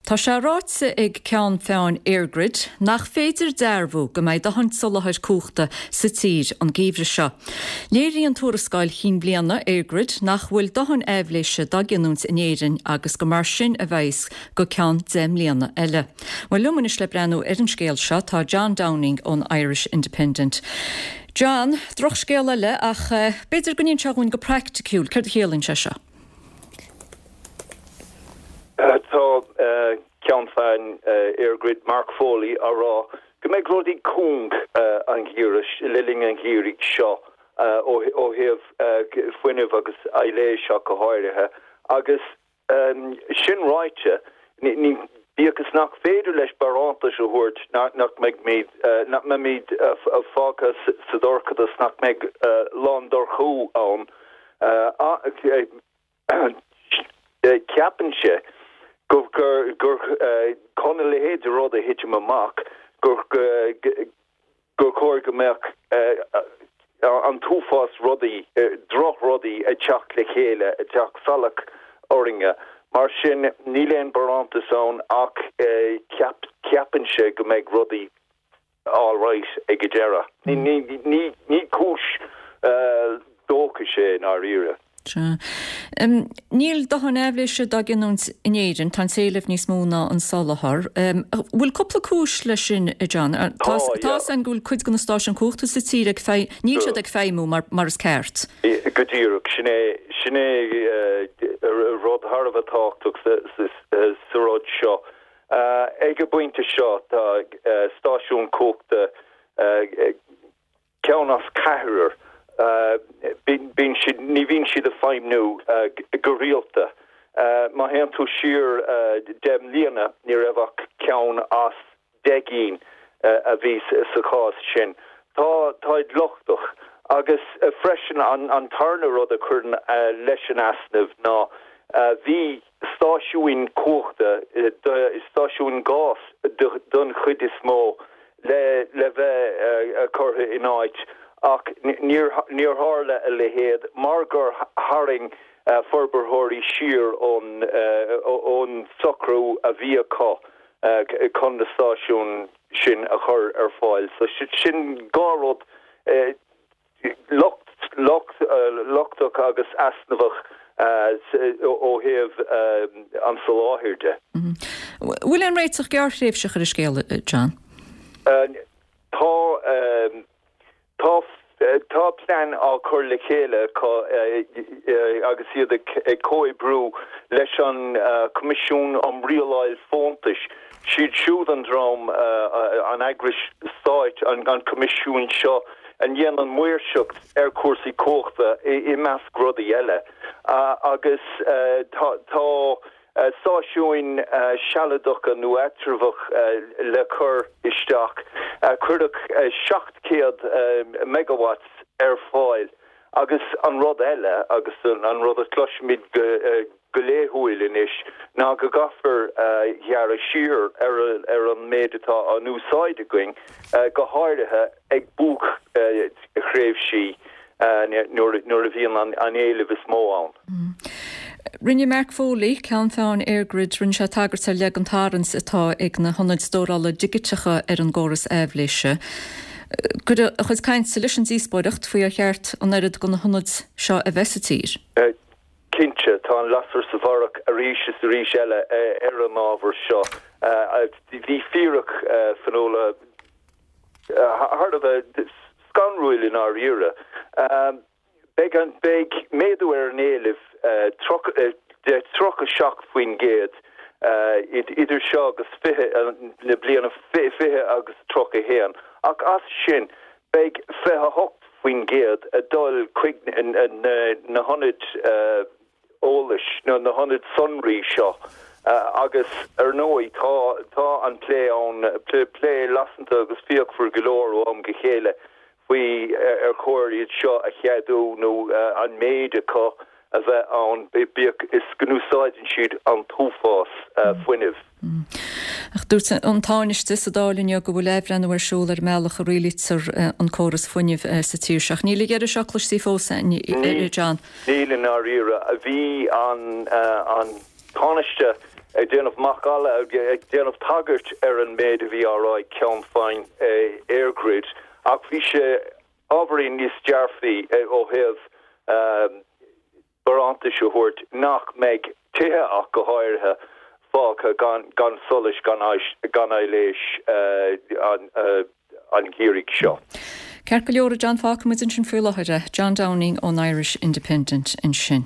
Tá sé ráite ag ceann feadhain EirGrid nach féidir dearbhú go mbeidh dóthain soláthair cumhachta sa tír an geimhreadh seo. Léiríonn tuarascáil chinn bliana EirGrid nach bhfuil dóthain aibhléise dá giniúint in Éirinn agus gur mar sin a bheas go ceann 10 mbliana eile. Bhuel, liom anois le breathnú ar an scéal seo tá John Downing ón Irish Independent. John, drochscéal eile ach b'fhéidir go n-inseofá dhúinn go praiticiúil céard a chiallaíonn sé seo? Tá ceann feadhain EirGrid, Mark Foley, á rá go mbeidh rudaí cúng an gheimhreadh, le linn an gheimhridh seo ó thaobh fuinnimh agus aibhléis ach go háirithe agus Sin ráite, bíodh is nach féidir leis barántais a thabhairt nach mbeimid, nach mbeimid fágtha sa dorchadas, nach mbeidh lándorchú ann, ceapann sé gur chun a leithéid de rud a thitim amach, gur gur chóir go mbeadh an t-uafás rudaí, drochrudaí ag teacht le chéile, ag teacht salach orainne. Mar sin, níl aon barántas ann ach ceapann sé go mbeidh rudaí alright ag an deireadh. Ní cúis dóchais é i ndáiríre. Sea. Níl dóthain aibhléise dá giniúint in Éirinn, tá an t-éileamh níos mó ná an soláthar. Bhfuil cúpla cúis leis sin, a John? Tá a fhios againn go bhfuil cuid de na stáisiúin cumhachta sa tír ag feidhm, níl siad ag feidhmiú mar mar is ceart. Go díreach. Sin é, sin é rud thar a bheith tábhachtach sa rud seo. Ag an bpointe seo tá stáisiún cumhachta ceann as ceathrar, bíonn siad, ní bhíonn siad ag feidhmniú go rialta. Má théann tú siar 10 mbliana, ní raibh ach ceann as 10 gcinn a bhí sa chás sin. Tá, táid lochtach. Agus freisin an tarna rud a chuireann leis an easnamh ná bhí stáisiúin cumhachta, stáisiúin gáis don chuid is mó, le le bheith curtha in áit ach níor níor tharla a leithéid mar gur tharraing forbarthóirí siar ón ón socrú a bhí acu chun na stáisiúin sin a chur ar fáil. So sin dhá rud. Lochtach agus easnamhach ó thaobh an tsoláthair de. Bhfuil aon réiteach gearrthréimhseach ar an scéal, John? Tá. Tá. Tá plean á chur le chéile acu agus iad ag comhoibriú leis an Coimisiún um Rialáil Fóntais. Siad siúd an dream, an eagrais stáit, an coimisiún seo a ndéanann maoirseacht ar chúrsaí cumhachta i measc rudaí eile. Agus tá stáisiúin sealadacha nó eatramhach le cur isteach. Cuireadh 700 megawatts ar fáil. Agus an rud eile, agus an rud a chloisimid go go laethúil anois ná go gcaithfear gearradh siar ar an méid atá á n-úsáid againn, go háirithe ag buaicthréimhsí nuair a bhíonn an éileamh is mó ann. Rinne Mark Foley, ceann feadhain EirGrid, rinne sé tagairt ar leith don tarraingt atá ag na hionaid stórála digiteacha ar an gcóras aibhléise. Cuireadh a chuid cainte leis an díospóireacht faoi ar cheart an oiread de na hionaid seo a bheith sa tír. Cinnte, tá an lasair sa bharrach arís is arís eile ar an ábhar seo. Bhí fíric, Fionnuala, thar a bheith scanrúil i ndáiríre. Beidh an, beidh méadú ar an éileamh de 37% idir seo agus 20, na bliana 20 agus 31, ach as sin Beidh 28% ag dul chuig na hionaid eolais nó na hionaid sonraí seo agus ar ndóigh tá tá an plé ann, plé lasanta agus fíochmhar go leor ó am go chéile faoi ar chóir iad seo a cheadú nó an méid acu a bheith ann, bíodh is go n-úsáideann siad an t-uafás fuinnimh. Ach dúirt an Tánaiste sa Dáil inniu go bhfuil athbhreithniú ar siúl ar an mbealach a rialaítear an córas fuinnimh sa tír seo. Ach níl a dheireadh seo cloiste fós, a John. Níl i ndáiríre. Bhí an Tánaiste. Ag déanamh macalla, ag déanamh tagairt ar an méid a bhí á rá ag ceann feadhain EirGrid, ach bhí sé ábhairín níos dearfaí ó thaobh barántais a thabhairt nach mbeidh tithe ach go háirithe fágtha gan solas, gan aibhléis an gheimhridh seo. Ceart go leor, a John, fágfaidh muid ansin faoi láthair é. John Downing ón Irish Independent ansin.